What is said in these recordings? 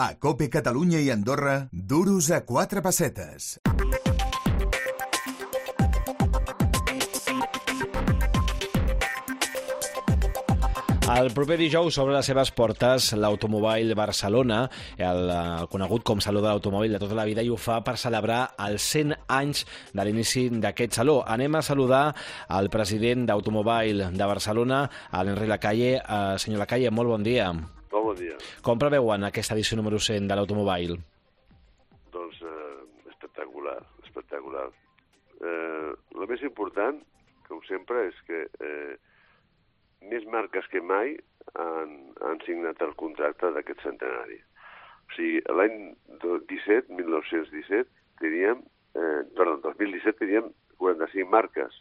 A COPE Catalunya i Andorra, duros a 4 pessetes. El proper dijous obre les seves portes l'Automobile Barcelona, el conegut com Saló de l'Automòbil de tota la vida, i ho fa per celebrar els 100 anys de l'inici d'aquest saló. Anem a saludar el president d'Automobile de Barcelona, l'Enric Lacalle. Senyor Lacalle, molt bon dia. Molt bon dia. Com preveuen aquesta edició número 100 de l'Automobile? Doncs espectacular, espectacular. El més important, com sempre, és que més marques que mai han signat el contracte d'aquest centenari. O sigui, l'any 1917 teníem, 2017 teníem 45 marques.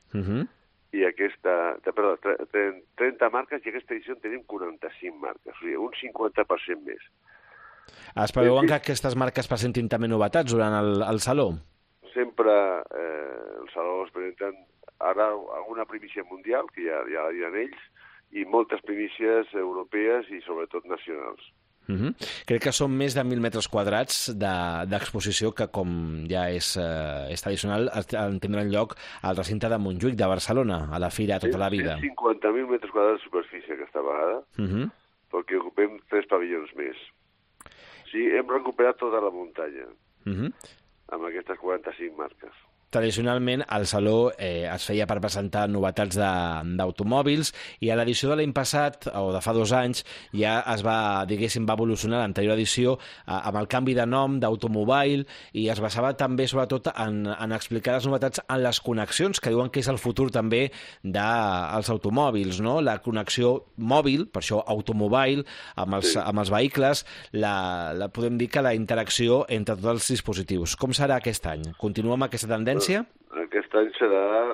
I 30 marques, i aquesta edició en tenim 45 marques. O sigui, un 50% més. Es preveuen que aquestes marques presentin també novetats durant el Saló? Sempre el Saló es presenten ara alguna primícia mundial, que ja la diran ells, i moltes primícies europees i sobretot nacionals. Crec que són més de 1.000 metres quadrats d'exposició que, com ja és tradicional, tindran lloc al recinte de Montjuïc de Barcelona, a la Fira Tota la Vida. 50.000 metres quadrats de superfície aquesta vegada, perquè ocupem 3 pavellons més. Sí, hem recuperat tota la muntanya amb aquestes 45 marques. Tradicionalment, el Saló es feia per presentar novetats d'automòbils, i a l'edició de l'any passat, o de fa 2 anys, ja es va, diguéssim, va evolucionar l'anterior edició amb el canvi de nom d'Automobile, i es basava també, sobretot, en explicar les novetats en les connexions, que diuen que és el futur també dels automòbils, no? La connexió mòbil, per això Automobile, amb els vehicles, podem dir que la interacció entre tots els dispositius. Com serà aquest any? Continua amb aquesta tendència? Aquest any serà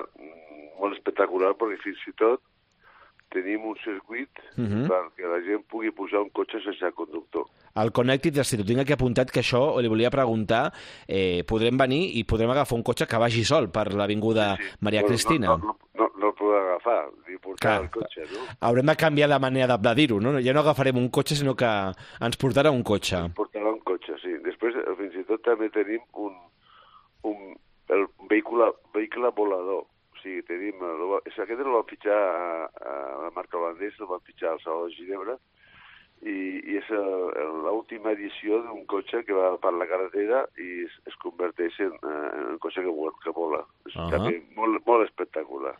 molt espectacular, perquè fins i tot tenim un circuit perquè la gent pugui pujar un cotxe sense conductor. El Connected City, tinc aquí apuntat que això li volia preguntar, podrem venir i podrem agafar un cotxe que vagi sol per l'avinguda Maria Cristina? No el podrem agafar, ni portar el cotxe, no? Haurem de canviar la manera de dir-ho, no? Ja no agafarem un cotxe, sinó que ens portarà un cotxe. Ens portarà un cotxe, sí. Després, fins i tot, també tenim el vehicle volador. O sigui, tenim... Aquest el van fitxar a la marca holandesa, el van fitxar al Saló de Ginebra, i és l'última edició d'un cotxe que va per la carretera i es converteix en un cotxe que vola. És també molt espectacular.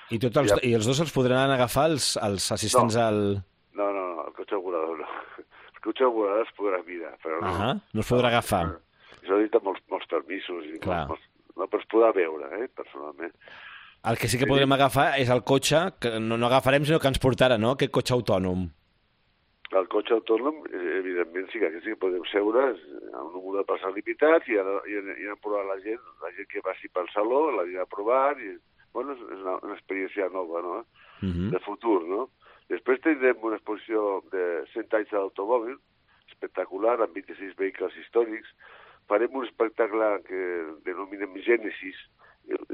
I els dos els podran agafar els assistents al... No, el cotxe volador no. El cotxe volador es podrà mirar, però no. No es podrà agafar. Això necessita molts permisos i no, però es podrà veure, personalment. El que sí que podrem agafar és el cotxe, que no agafarem, sinó que ens portarà, no?, aquest cotxe autònom. El cotxe autònom, evidentment, sí que podem seure a un número de persones limitats i anar a provar la gent que passi pel saló, la anirà a provar, i, bueno, és una experiència nova, no?, de futur, no? Després tindrem una exposició de 100 anys de l'automòbil, espectacular, amb 26 vehicles històrics. Farem un espectacle que denominem Gènesis,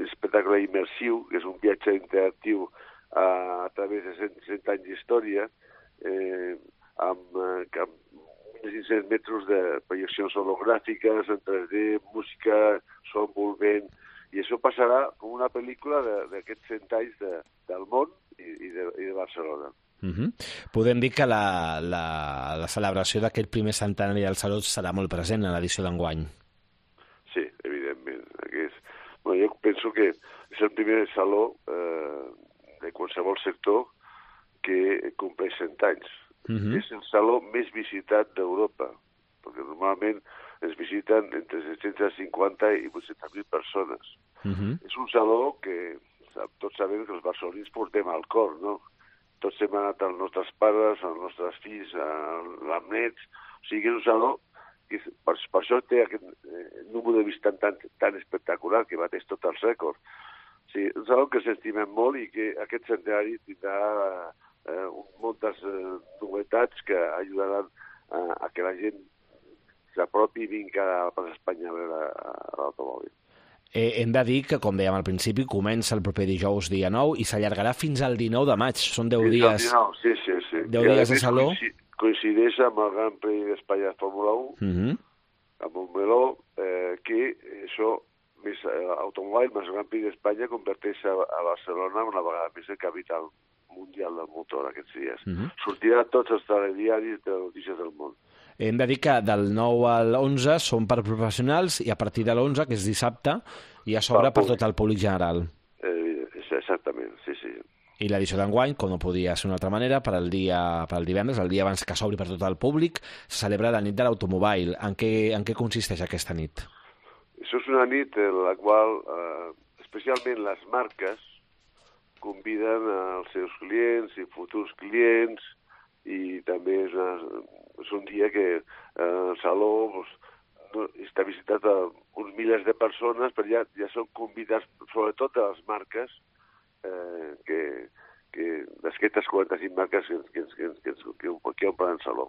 espectacle immersiu, que és un viatge interactiu a través de 100 anys d'història, amb 1.500 metres de projeccions hologràfiques, en 3D, música, so envolvent, i això passarà com una pel·lícula d'aquests 100 anys del món i de Barcelona. Podem dir que la celebració d'aquest primer centenari del Saló serà molt present en l'edició d'enguany. Sí, evidentment. Jo penso que és el primer saló de qualsevol sector que compleix 100 anys. És el saló més visitat d'Europa, perquè normalment es visiten entre 750 i 800.000 persones. És un saló que tots sabem que els barcelonins portem al cor, no? Tots hem anat als nostres pares, als nostres fills, als nets. O sigui, és un saló que per això té aquest número de visitants tan espectacular, que bateix tots els rècords. O sigui, és un saló que s'estimem molt i que aquest centenari tindrà moltes novetats que ajudaran a que la gent s'apropi i vingui a Espanya a veure l'automòbil. Hem de dir que, com dèiem al principi, comença el proper dijous dia 9 i s'allargarà fins al 19 de maig. Són 10 dies. Sí. 10 dies de saló. coincideix amb el Gran Premi d'Espanya de Fórmula 1, a Montmeló, que això, més automòbil, més Gran Premi d'Espanya, converteix a Barcelona una vegada més en capital mundial del motor aquests dies. Sortirà a tots els telediaris de notícies del món. Hem de dir que del 9 al 11 són per professionals i a partir de l'11, que és dissabte, ja s'obre per tot el públic general. Exactament, sí. I l'edició d'enguany, com no podia ser d'una altra manera, per al divendres, el dia abans que s'obri per tot el públic, se celebra la nit de l'automòbil. En què consisteix aquesta nit? Això és una nit en la qual, especialment les marques, conviden els seus clients i futurs clients, i també és un dia que el saló està visitat a uns milers de persones, però ja són convidats, sobretot de les marques, d'aquestes 45 marques que omplen el saló.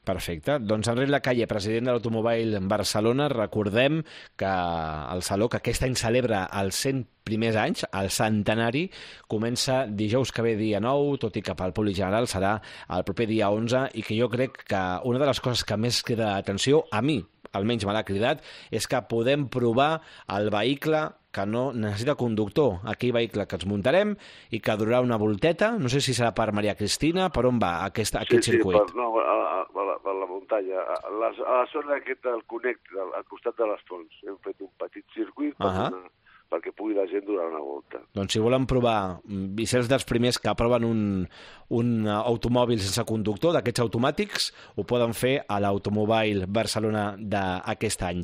Perfecte. Doncs Enric Lacalle, president de l'Automòbil Barcelona, recordem que el saló, que aquest any celebra els 100 primers anys, el centenari, comença dijous que ve dia 9, tot i que pel públic general serà el proper dia 11, i que jo crec que una de les coses que més crida l'atenció, a mi almenys me l'ha cridat, és que podem provar el vehicle que no necessita conductor, aquell vehicle que ens muntarem i que durarà una volteta, no sé si serà per Maria Cristina, per on va aquest circuit? Sí, per la muntanya, a la zona aquesta del Connect, al costat de les Fonts, hem fet un petit circuit perquè pugui la gent durar una volta. Doncs si volen provar, i ser els dels primers que aproven un automòbil sense conductor, d'aquests automàtics, ho poden fer a l'Automòbil Barcelona d'aquest any.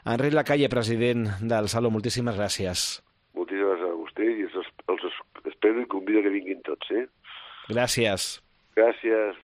Enric Lacalle, president del Saló, moltíssimes gràcies. Moltíssimes gràcies a vostè i els espero i convido que vinguin tots, Gràcies. Gràcies.